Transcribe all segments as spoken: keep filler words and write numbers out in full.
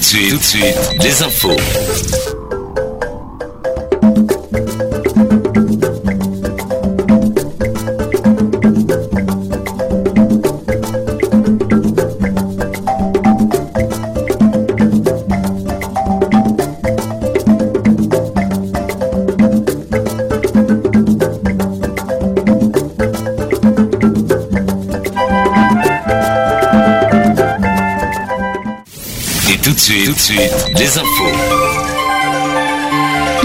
de suite, tout de suite, les infos. Tout de suite, tout de suite, les infos.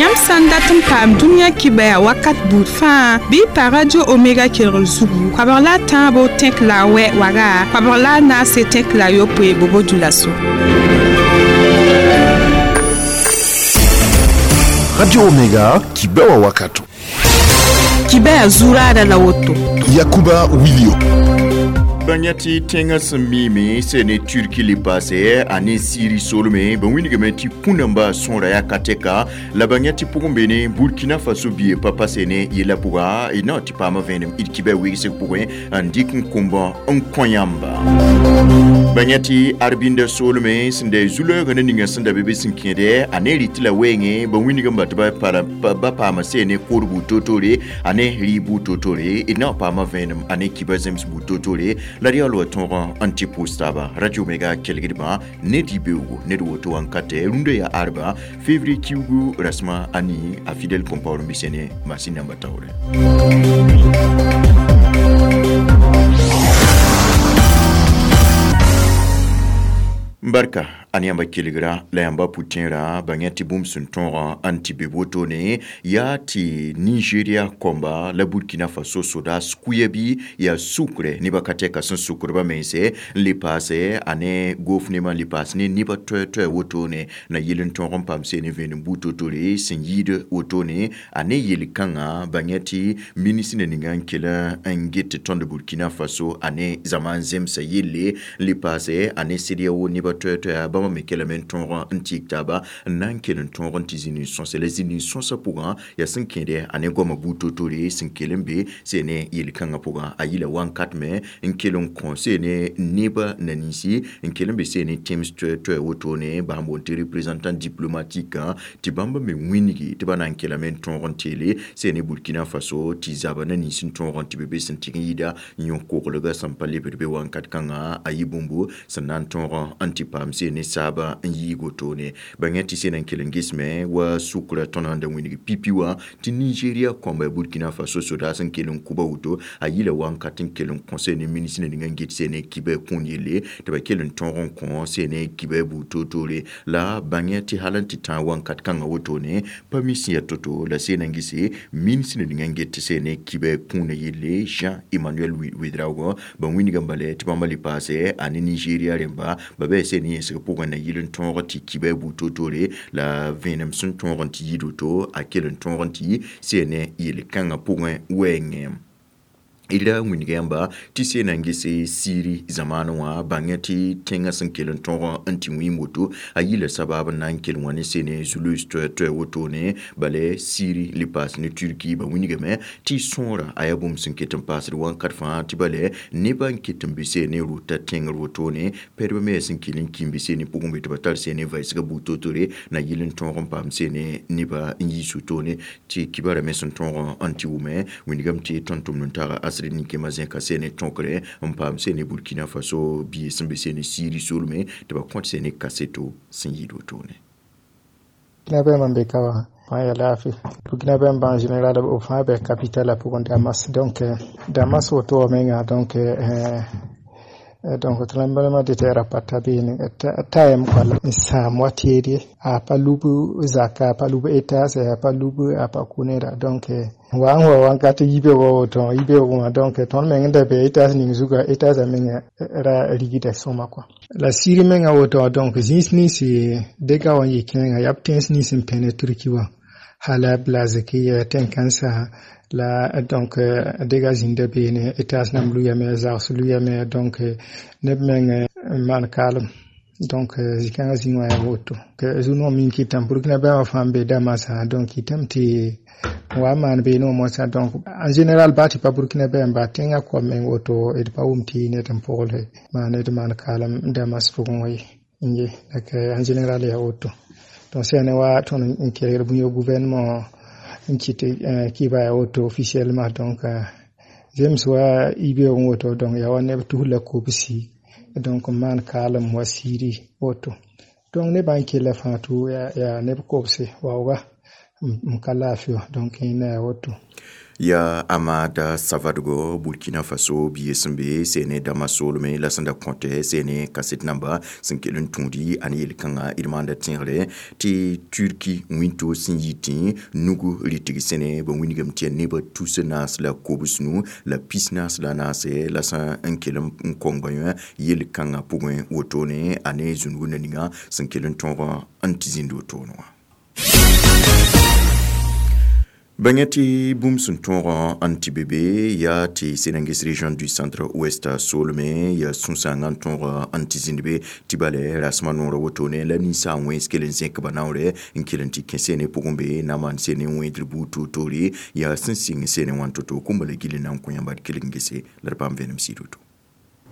Yãmb sã n dat n paam dũniyã kibɛa wakat buud fãa bɩ pa Radio Omega kelgr zugu koabg la a tãabo tẽk la a wɛ waga koabg la a naase tẽk la a yopoe bobo dulaso. Radio Omega kibɛa wakato. Kibɛa zuuraada la woto. Yakuba Wilio. Bãng tɩ tẽngã sẽn miime sẽne Turki le paase a ne Siri solme bã wĩnigame tɩ kũnamba sõora yaa ka tɛka la bãng tɩ pʋgẽ beene Burkina Faso bie pa pa sene yella pʋga d na tɩ paama vẽenem d kibɛ wegsg pʋgẽ n dɩk n kõmba n kõ yãmba. Bãng tɩ Arbinda solme sẽn da zu-loeegã ne ninga sẽn da be be sẽn kẽede a ne rɩt la weengẽ bã wĩnigame tɩ ba paama sene kor buud toor-toore a ne rɩ buud toor-toore d na paama vẽenem a ne kibã zems buud toor-toore la d yaa loa tõog n tɩ pʋʋs taaba. Radio Omega kelgdbã ned yɩ beoogo ned woto wã n ka tɛ rũndã yaa arba février kiugu rasmã a nii a Fidèle Compaoré n bɩ ne masin namba taoore. Barka a ne yãmba kelgra la yãmba pʋ-tẽerã bãng tɩ bũmb sẽn tõog n tɩ be wotone yaa tɩ Nigeria kõmba la Burkina Faso sodaas kuya bɩ yaa sukrɛ nebã ka tɛka sẽn sukdba mense n le paase a ne gofnemã n le paas ne nebã toɛ-toɛ wotone na yel n tõog n paam seen vẽenem buud toor-toore sẽn yɩɩd wotone a ne yel-kãngã bãng tɩ ministr ninga n kell n get tɩ tõnd Burkina Faso a ne zaman zemsã yelle n le paase a ne CEDEAO nebã toɛ-toɛa bãmba me kelame n tõog n tɩk taaba n na n kell n tõog n tɩ zĩni sõsa la zĩni sõsã pʋgã yaa sẽn kẽede a ne goamã buud toor-toore sẽn kell n be sene yel-kãngã pʋgã a yɩla wãnkat me n kell n kõ sene nebã na ninsi n kell n be sene tẽms toɛ-toɛ wotone bas n boond tɩ représentant diplomatique tɩ bãmba me wĩnigi tɩ ba na n kellame n tõog n teele sene Burkina Faso tɩ zaba na nins n tõog n tɩ be be sẽn tɩg n yɩɩda n yõ koglga sẽn pa lebd be wãnkat kãngã a yɩ bũmbu sẽn na n tõog n tɩ paam sene saaba n yɩɩg wotone bãng tɩ sẽn n kell n gesme wa sʋkrã tõnd sẽn da wĩnig pipi wã tɩ Nigeria kõmba Burkina Faso sodaas n kell n kʋba woto a yɩla wãnkat n kell n kõ sene ministr ning n get sene kibɛ kũun yelle tɩ ba kell n tõog n kõ sene kibɛ buud toor-toore la bãng tɩ hal n tɩ tãag wãnkat kãngã wotone pa mi sẽn yaa to-to la sẽn n gese ministr ning n get tɩ sene kibɛ kũunã yelle Jean Emmanuel Ouedraogo bãmb wĩnigame bala tɩ bãmba le paase a ne Nigeria rẽmba ba bɩ sene yẽsg pʋgẽ na yɩl n tõog tɩ kibɛ buud toor-toore la vẽenem sẽn tõog n tɩ yɩ woto a kell n tõog n tɩ sene yel-kãngã pʋgẽ wɛɛngẽ. D ra wĩnga yãmba tɩ sena n gese Siri zamaanẽ wã bãng tɩ tẽngã sẽn kell n tõog n tɩ wĩim woto a yɩla sabab n na n kell wã ne sene zulus toɛ-toɛ wotone bala Siri le paas ne Turki ba wĩnigame tɩ sõora a yaa bũmb sẽn ket n paasd wãnkat fãa tɩ bala nebã n ket n be sene rota tẽngr wotone pɛdbã me yaa sẽn kell n kĩmbe sene pʋgẽ be tɩ ba tar sene vɛɛsga buud toor-toore na yɩl n tõog n paam sene nebã n yiis wotone tɩ kibara me sẽn tõog n tɩ wʋme wĩnigame tɩ tõnd tʋmd n taga asr ninkema zẽka sene tõkre n paam sene Burkina Faso bie sẽn be sene Siri solme tɩ ba kõt sene kaseto sẽn yɩɩd wotone. Burkinabé man be ka wã fãa yaa laafɩ Burkinabé n en général b fãa bɛ capitale a pʋgẽ Damas donc Damas woto wã menga donc donc tremblement de terre a pa ta beene tayam quoi n sãam wa teed ye a pa lub zaka a pa lub étage a pa lub a pa kʋ neda donc wa n wa wãnkat yibeoogã woto yibeoog wã donc tõnd meng n da be étage ning zuga étage a menga ra rigda sõma quoi la Siri menga woto donc zĩis nins dega wã n yɩ kẽengã yaa b tẽns nins n pẽne Turki wã Halab la Zakiya tẽn-kãnsã la donc dega zĩnda beene étage nam luyame zags luyame donc neb meng n maan kaalem donc zĩ-kãngã zĩig wã yaa woto zu-noog min kɩtame Burkinabé wã fãa n be Damasã donc kɩtame tɩ wa maan beene wã moasã donc en général baa tɩ pa Burkinabé n baa tẽngã koam meng woto d pa wʋm tɩ ned n pʋgl maa ned maan kaalem Damas pʋgẽ wã ye. Ye en général yaa woto. Donc sẽne wa tõnd n kelgd bũmb yo gouvernement n kɩt kɩba yaa woto officiellement. Donc zems wa yibeoog woto, donc yaa wa neb tus la kobsi, donc n maan kaalem wa siiri woto. Donc nebã n kella fãa tɩ yaa neb kobse waooga n ka laafɩ wã. Donc yẽnda yaa woto. Ya Amada Savadogo, Burkina Faso bia sẽn be sene dama solme la sẽn da kõte sene kaset namba sẽn kell n tũudi a ne yel-kãngã d maanda tẽegre tɩ Turki wĩnto sẽn yi tĩ nugu rɩtg sẽne ba wilgame tɩ yaa nebã tus naas la kobs nu la pis naas la naase la sẽn n kell n kong ba yõ yel-kãngã pʋgẽ wotone a ne zũnug na ninga sẽn kell n tõog n tɩ zĩnd wotone wã. Bãnga tɩ bũmb sẽn tõog n tɩ be be yaa tɩ Sénangues, région du Centre Ouest soolmẽ yaa sũ-sãangã n tõog n tɩ zĩnd be tɩ bale rasmã noorã wotone la ninsaag wẽns kell n zẽk ba naoore n kell n tɩ kẽ sene pʋgẽ be na maan sene wẽedr buud toor-toore yaa sẽn sɩng sene wã to-to kũmba la gill n na n kõ yãmba d kelg n gese la d paam vẽenem sɩd woto.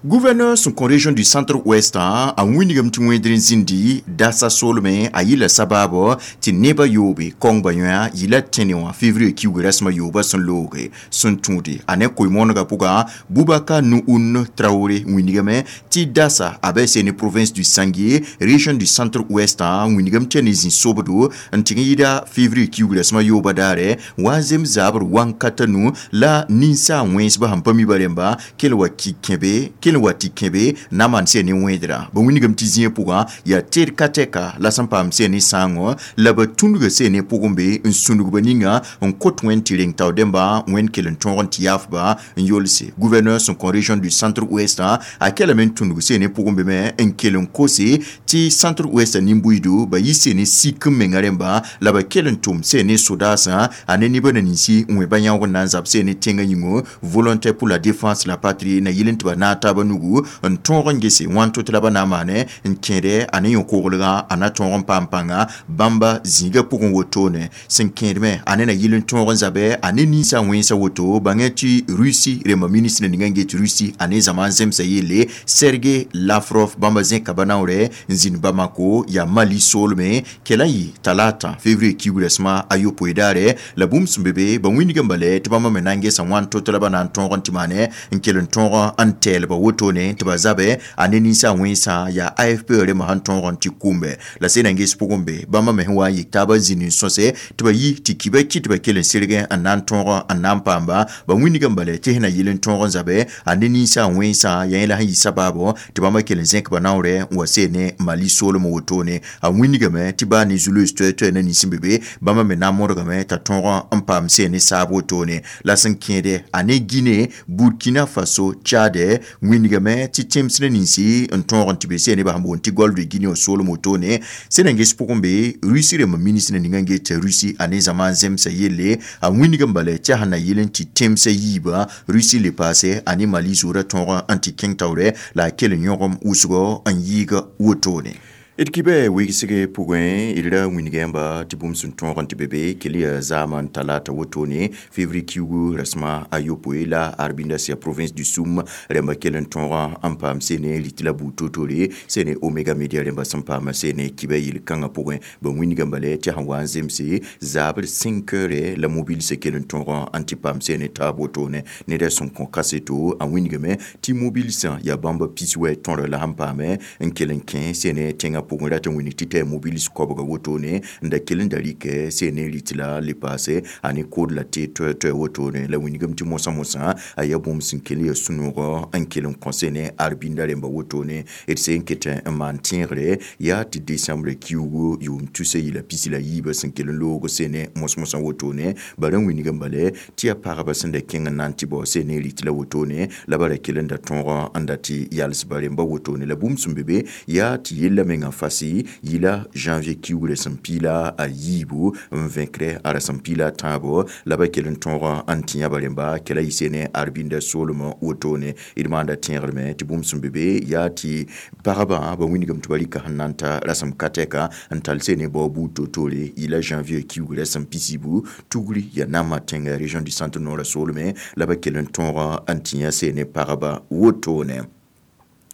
Gouverneur sẽn kõ région du Centre-Ouest a wilgame tɩ wẽedr n zĩndi dasa soolmẽ a yɩla sabaabo tɩ nebã yoobe kõng ba yõa yɩla tẽne wã février kiuug rasmã yooba sẽn looge sẽn tũude a ne koe-moonegã pʋga Boubacar Nouhoun Traoré wilgame tɩ dasa a bɩ sene province du Sanguié, région du Centre-Ouest wilgame tɩ ne zĩ sobdo n tɩg n yɩda février kiuug rasmã yooba daare wa n zem zabr wãn-kata nu la ninsaag wẽnsbã sẽn pa mi ba rẽmba kell wa ki kẽbe kell wa tɩ kẽbe na maan sẽn ne wẽedra ba wilgame tɩ zĩig pʋgã yaa teed ka tɛka la sẽn paam sẽn ne sãango la ba tũndga sẽn ne pʋgẽ be n sũndg ba ninga n kot wẽnd tɩ reng tao dẽmba wẽnd kell n tõog n tɩ yaafba n yolse. Gouverneur sẽn kõ région du Centre-Ouest a kelame n tũndg sẽn ne pʋgẽ be me n kell n kose tɩ Centre-Ouest nin-buiido ba yi sẽn ne sik n menga rẽmba la ba kell n tʋm sẽn ne sodaasã a ne nebã na ninsi n wẽ ba yãoog n na n zab sẽn ne tẽngã yĩngo volontaire pour la défense la patrie na yɩl n tɩ ba naag taabã nugu n tõog n gese wãn to tɩ la ba na n maane n kẽede a ne yõ-koglgã a na tõog n paam pãnga bãmba zĩigã pʋgẽ wotone sẽn kẽedmẽ a ne na yɩl n tõog n zabɛ a ne ninsã wẽnsa woto bãngã tɩ Russie rẽmba ministre ninga n get Russie a ne zãma n zemsa yelle Sergei Lavrov bãmba zẽka ba naoorɛ n zĩnd Bamako yaa Mali soolmẽ kɛla n yɩ talata février kiuug rasmã a yopoe daare la bũmb sẽn be be ba wĩndg n bale tɩ bãmba me na n gesa wãn to tɩ la ba na n tõog n tɩ maane n kell n tõog n tɛɛlba wotone tɩ ba zabɛ a ne ninsã wẽnsã yaa A F P rẽmbã sẽn tõog n tɩ kũmbe la sẽn na n ges pʋgẽ be bãmba me sẽn wa n yik taabã zĩnd n sõse tɩ ba yi tɩ kiba kɩ tɩ ba kell n sɩrgẽ n na n tõog n na n paamba ba wĩndg n bale tɩ sẽn na yɩl n tõog n zabɛ a ne ninsã wẽnsã yaa yẽ la sẽn yɩ sabaabo tɩ bãmba kell n zẽk ba naoorɛ n wa seen ne Mali soolem wotone a wĩndgame tɩ baa ne zuloos toɛ-toɛ na nins n be be bãmba me na n modgame t'a tõog n paam seen ne saab wotone la sẽn kẽede a ne Guinée, Burkina Faso, Tchad wĩndgame tɩ tẽms na ninsi n tõog n tɩ be seen nebã sẽn boond tɩ Golfe de Guinée soolem wotone sẽn na n ges pʋgẽ be Russie rẽmba ministre ninga n get Russie a ne zãma n zemsa yelle a wĩndg n bala tɩ sẽn na yɩl n tɩ tẽmsã yiibã Russie le paase a ne Mali zoorã tõog n tɩ kẽng taoorɛ la a kell n yõgem wʋsgo n yɩɩg wotone. D kibɛ wegsg pʋgẽ d ra wĩnga yãmba tɩ bũmb sẽn tõog n tɩ be be kell yaa zaamã n talata wotone février kiugu rasmã a yopoe la Arbinda sia province du Soum rẽmba kell n tõog n paam sene rɩt la buud toor-toore sene Omega Media rẽmba sẽn paama sene kibɛ yel-kãngã pʋgẽ ba wĩnga n bala tɩ sẽn wa n zemse zabr cinq heures la mobilsã kell n tõog n tɩ paam sene taab wotone neda sẽn kõ kaseto a wĩngame tɩ mobilsã yaa bãmba pis wɛ tõr la sẽn paame n kell n kẽ sene tẽngã pʋgẽ rat n wĩnig tɩ tɩ mobils koabga wotone n da kell n da rɩkɛ sene rɩt la le paase a ne kood la tɩ toɛ-toɛ wotone la wĩngame tɩ mosã mosã a yaa bũmb sẽn kell ya sũ-noogã n kell n kõ sene Arbinda rẽmba wotone d sẽn ket n maan tẽegre yaa tɩ décembre kiugu yʋʋm tusa yɩla pisi la yiibã sẽn kell n loog sene mos-mosã wotone bara n wĩng n bale tɩ yaa pagba sẽn da kẽng n na n tɩ bao sene rɩt la wotone la ba ra kell n da tõog n da tɩ yals ba rẽmba wotone la bũmb sẽn be be yaa tɩ yella mengã fasi yɩla janvier kiugrã sẽn piila a yiibu n vẽkre a ra sẽn piila a tãabo la ba kell n tõog n tĩ yãba rẽmba kɛla yɩ sene Arbinda soolmã wotone d maanda tẽegrme tɩ bũmb sẽn be be yaa tɩ pagba ba wĩndgame tɩ ba rɩka sẽn na n ta rasem ka tɛka n tall sene bao buud toor-toore yɩla janvier kiugrã sẽn pisibu tugri yaa nama tẽnga région du Centre noorã soolmẽ la ba kell n tõog n tĩ yã sene pagba wotone.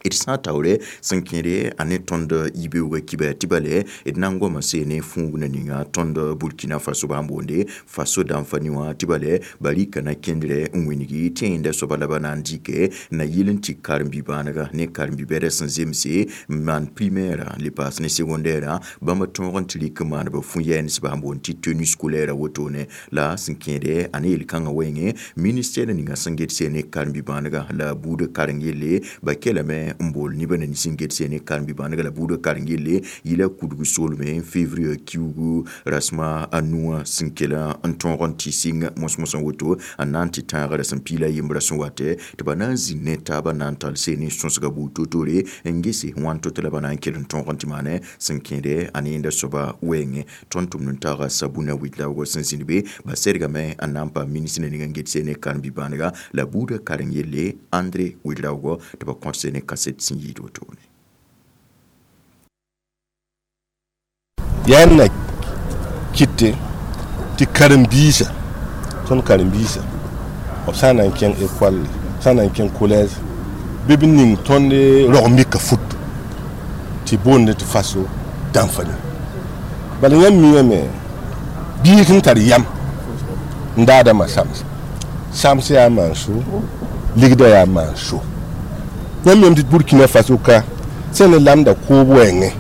D sã n taoore sẽn kẽede a ne tõnd yibeoogã kiba tɩ bale d na n goama seene fũug na ninga tõnd Burkina Faso bãmb boonde Faso dãmb-fa wã tɩ bale ba rɩka na kẽndrɛ n wĩngi tɩ yẽnda soaba la ba na n dɩke na yɩl n tɩ karen-bi-bãanega ne karen-bi-bɛda sẽn zemse n maan primaire le paas ne secondaire bãmba tõog n tɩ rɩk n maan ba fũ-yɛɛns bãmb boond tɩ tenue scolaire wotone la sẽn kẽede a ne yel-kãngã wẽnge ministère ninga sẽn get seene karen-bi-bãanega la buudã karen yelle ba kelame n bool neba na nins n get seene karen-bi-bãanega la buudã karen yelle yɩla kudg soolme février kiugu rasma a nuwã sẽn kela n tõog n tɩ sɩng mos-mosã woto n na n tɩ tãagra sẽn piila yembrã sẽn watɛ tɩ ba na n zĩnd ne taabã na n tall seene sõsga buud to-tore n gese wãn to-to la ba na n kell n tõog n tɩ maane sẽn kẽede a ne yẽnda soaba wɛɛngẽ tõnd tʋmd n taaga Sabuna Wit-laoogã sẽn zĩnd be ba sɛdgame n na n paam ministre ninga n get seene karen-bi-bãanega la buudã karen yelle André Wit-laoogã tɩ ba kõt seene kaset sẽn yɩɩd wotone. Yaa na kɩte tɩ karen-biisã tõnd karen-biisã b sã n na n kẽng école sã n na n kẽng collège bɩ b ning tõnd rog-mika fut tɩ boonde tɩ Faso dãmb-fa bala yãmb miame biig sẽn tar yam n daadãmbã sams sams yaa maan-so ligda yaa maan-so yãmb miame tɩ Burkina Faso ka sẽn ne lamda koob wɛɛngẽ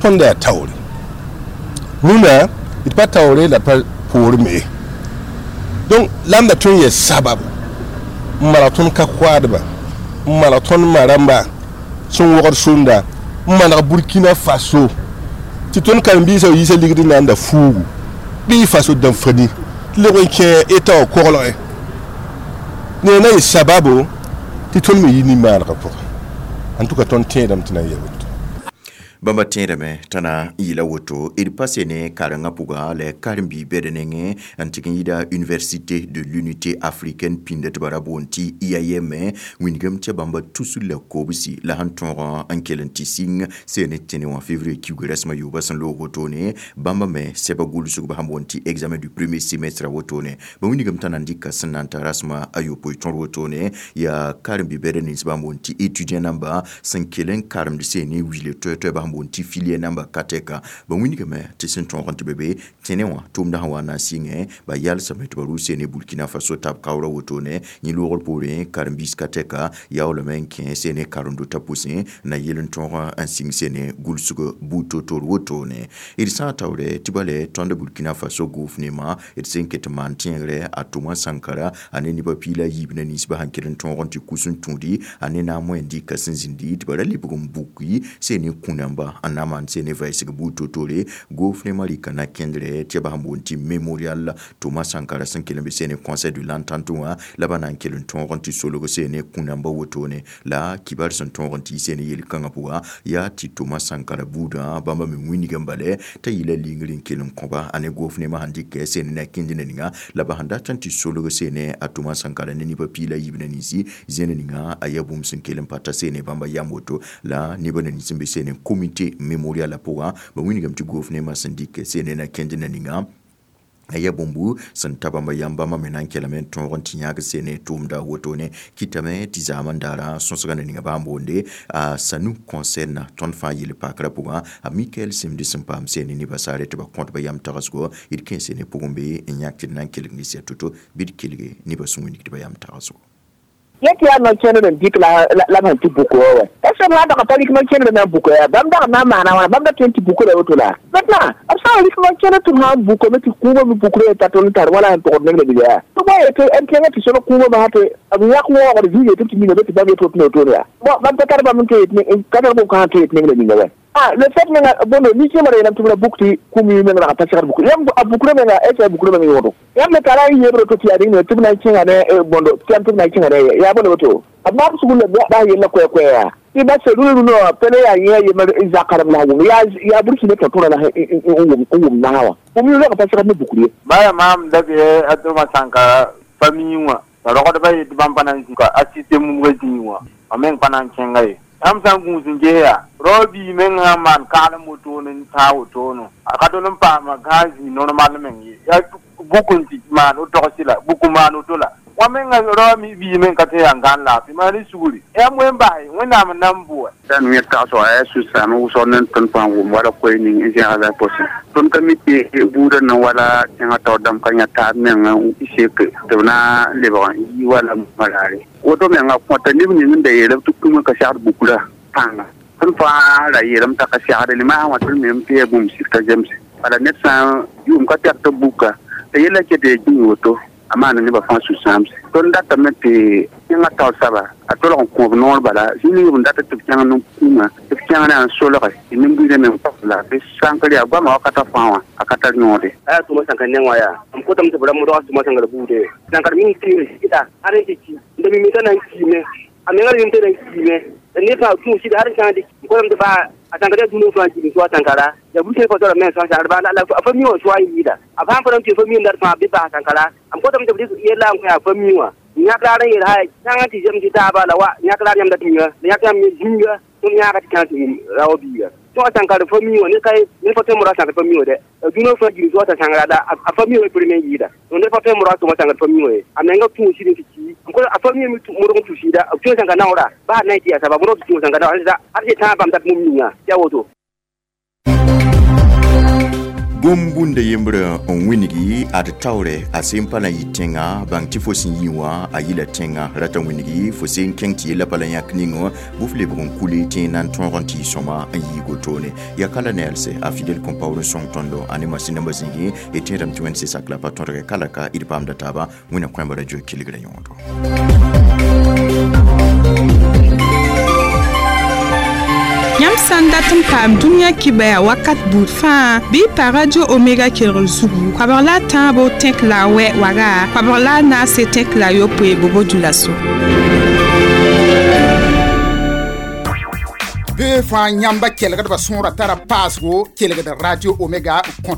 tõnd yaa taoore rũnã d pa taoore la pa poor me donc lamda tõnd yɛ sababu n maneg tõnd ka koaadba n maneg tõnd ma rãmba sẽn wogd sũnda n maneg Burkina Faso tɩ tõnd karen-biisã yiisa ligd n na n da fuugu bɩ Faso dãmb-fa-ni tɩ leb n kẽ eta wã koglgẽ ne na yɩ sababo tɩ tõnd me yi nin-maanegã pʋgẽ en tout cas tõnd tẽedame tɩ na n yaa woto. Bãmba tẽedame t'a na n yɩla woto d pa sene karengã pʋga la karen-bi-bɛd nengẽ n tɩg n yɩɩda Université de l'Unité africaine pĩnda tɩ ba ra boond tɩ I A M wĩndgame tɩ bãmba tusr la kobsi la sẽn tõog n kell n tɩ sɩng seene tẽne wã février kiuga rasmã yoobã sẽn loog wotone bãmba me sɛba gʋlsg sẽn boond tɩ examen du premier semestre wotone ba wĩndgame t'a na n dɩka sẽn na n ta rasmã a yopoe tõr wotone yaa karen-bi-bɛd nins bãmb boond tɩ étudiant namba sẽn kell n karemd seene wile toɛ-toɛ bãmb boond tɩ filière namba ka tɛka ba wĩndgame tɩ sẽn tõog n tɩ be be tẽne wã tʋʋmdã sẽn wa n na n sɩngẽ ba yalsame tɩ ba rʋ seene Burkina Faso tab kaoorã wotone yẽ loogr poorẽ karen-biis ka tɛka yaoolame n kẽ seene karen-dotã pʋsẽ na yel n tõog n sɩng seene gʋlsg buud to-tor wotone d sã n taoore tɩ bale tõnd Burkina Faso gʋʋf-nemã d sẽn ket n maan tẽegre a Thomas Sankara a ne nebã piila yiib na ninsbã sẽn kell n tõog n tɩ kus n tũudi a ne na n moẽ dɩka sẽn zĩndi tɩ ba ra lebg n buki seene kũ-namba n na n maan seene vɛɛsg buud to-tore gʋʋf-nemã rɩka na kẽndrɛ tɩ ba sẽn boond tɩ mémorial Thomas Sankara sẽn kell n be seene conseil de l'entente wã la ba na n kell n tõog n tɩ solg seene kũ-nambã wotone la kibar sẽn tõog n tɩ seene yel-kãngã pʋga yaa tɩ Thomas Sankara buudã bãmba me wĩndg n bale t'a yɩla lingr n kell n kõba a ne gʋʋf-nemã sẽn dɩkɛ seene na kẽnd na ninga la ba sẽn dat n tɩ solg seene a Thomas Sankara ne nebã piila yiib na ninsi zẽn ninga a yaa bũmb sẽn kell n pa ta seene bãmba yam woto la nebã na nins n be seene comité mémorial la pʋgã ba wĩndgame tɩ gʋʋf-nemã sẽn dɩkɛ seene na kẽnd na ninga a yaa bũmbu sẽn ta bãmba yam bãmba me na n kelame n tõog n tɩ yãag seene tʋʋmda wotone kɩtame tɩ zaam n daara sõsga na ninga bãmb boonde a Sanu concerne tõnd fãa yel-pakrã pʋgã a Mikael Simdi sẽn paam seene nebã saare tɩ ba kõt ba yam tagsgo d kẽ seene pʋgẽ be n yãk tɩ d na n kelg ne sɩa to-to bɩ d kelge nebã sẽn wĩndg tɩ ba yam tagsgo. Yẽtɩ yaa no-kẽndr n dɩk la la b sẽn tɩ bʋk wa wa est ce b dag pa rɩk no-kẽndr na n bʋk ya bãmb dag na n maana wãna bãmb da tõe n tɩ bʋkra woto la maintenant b sã n rɩk no-kẽndr tɩ b sã n bʋkame tɩ kũumã me bʋkra t'a tõnd tar wala sẽn togd neng la yaa tɩ bõe yetɩ n kẽngã tɩ solg kũumã basã tɩ b yãk waoogd zĩig tɩ tɩ miname tɩ bãmb yet woto wotone yaa bon bãmb ka tar bãmb n tõe ka tar bũmb kãsã tõe yet neng la ninga wa. Ah, le fait menga bondo ni ke mara yelam tɩ buk tɩ kũum menga la pa segd buk yãmb a bukra menga est ce a bukra menga yõodo yãmb me tara n yebr to tɩ yaa dĩng tɩ b na n kẽnga ne bondo tɩ yãmb tɩ b na n kẽnga ne yaa bõe woto b maam sugr la bas yella koɛ-koɛ yaa tɩ ba se rũnu wã pẽne yaa yẽ a yembr n zakarem la wʋm yaa yaa burkina tõ tõra la n wʋm nasã wã bũmb yʋ pa segd ne bukr ye. Baya maam da be a Thomas Sankara famille wã la rogdbã yetɩ bãmb pa na n zĩ ka assiste mumgã zĩig wã a meng pa na n kẽnga ye yãmb sã n gũus n ges yaa rao bii meng sã n maan kaalem wotone n tãag wotone a ka tol n paama gãag zĩig normal meng ye yaa bukun tɩ maan togsi la buk maan woto la wã menga rao mi bii men ka tɩ yaa n gãn laafɩ maan y sugri yaa wẽn bas wẽnnaam n na n bʋa tãn yẽ tagsg a yaa sũ-sãam wʋsg ne tõnd fãa wʋm wala koe ning n zẽgda pʋsẽ tõnd ka mi tɩ buudã na wala tẽngã taoor dãmb ka yã taab meng n sek tɩ b na n lebg n yi wala malaare woto menga kõta neb ning n da yeelb tɩ kũmã ka segd bukra pãnga tõnd fãa ra yeelame t'a ka segd limaasã wã tõnd mem tɩ yaa bũmb sɩd ka zemse bala ned sã n yʋʋm ka tɛk tɩ buka tɩ yella ket yaa gĩig woto a maana nebã fãa sũ-sãamse tõnd datame tɩ tẽngã taoor soaba a tolg n kõob noor bala zĩ ning b data tɩ b kẽng nin-kũumã tɩ b kẽng na n solge tɩ nin-buiidã meng la bɩ sãnkr yaa goamã wakatã fãa wã a ka tar yõode aya tʋma sãnka neng wã yaa m kotame tɩ b ra modg tʋma sãngra buude sãnkr ming tɩ sɩda ad n tɩ ki n da mimi t'a na n kiime a menga rem t'a na n kiime ne pa tũ sɩda ad n kãng tɩ m kotame tɩ baa a sãnkr yaa dũniyã fãa kɩ soa sãnkara ya bu sẽn pa me sã sãnkr baa la a fa mi wã soa n yɩɩda a fãa pa tɩ fa mi n dat fãa bɩ bas sãnkara m kotame tɩ b dɩk yella n kõ yaa fa mi wã yãk raar n yeel hay sãngã tɩ zem tɩ taaba la wa yãk raar yãmb dat miga la yãk yãmb zĩnga tõnd yãaga tɩ kãng tɩ wum raoã biiga tõ a sãnkar fa mi wã ne ka ne pa tõe n modg a sãnkr fa mi wã dɛ dũniyã fãa gil soa t'a sãngra la a fa mi wã premier n yɩɩda donc ned pa tõe n modg a tʋma sãnkr fa mi wã ye a menga tũ sɩd n tɩ ki n kõ a fa mi me modg n tũ sɩda b tũ sãnka naoora baa na n tɩ yaa saba modg tɩ tũ sãnka naoora ad tɩ tãag bãmb dat mum ninga tɩ yaa woto Gom-bũnda yembrã n wĩngi ad taoore a sẽn pa na yɩ tẽnga bãng tɩ fo sẽn yĩ wã a yɩla tẽnga rata wĩngi fo sẽn kẽng tɩ yella pa la yãk ning wã bʋ f lebg n kuli tɩ na n tõog n tɩ y sõma n yii gotone yaa ka la neelse a Fidel Compaoré n sõng tõndo a ne masĩn nambã zĩigi y tẽedame tɩ wẽnd sɩsak la pa tõdge ka la ka d paamda taaba wẽna kõemba radio kelgra yõodo. Yãmb sã n dat n paam dũniyã kibaya wakat buud fãa bɩ y pa radio Omega kelgr zugu koabg la a tãabo tẽk la a wɛ waga koabg la a naase tẽk la a yopoe bobo dulaso. Bee fãa yãmba kelgdbã sõora tara paasgo kelgd radio Omega n kõt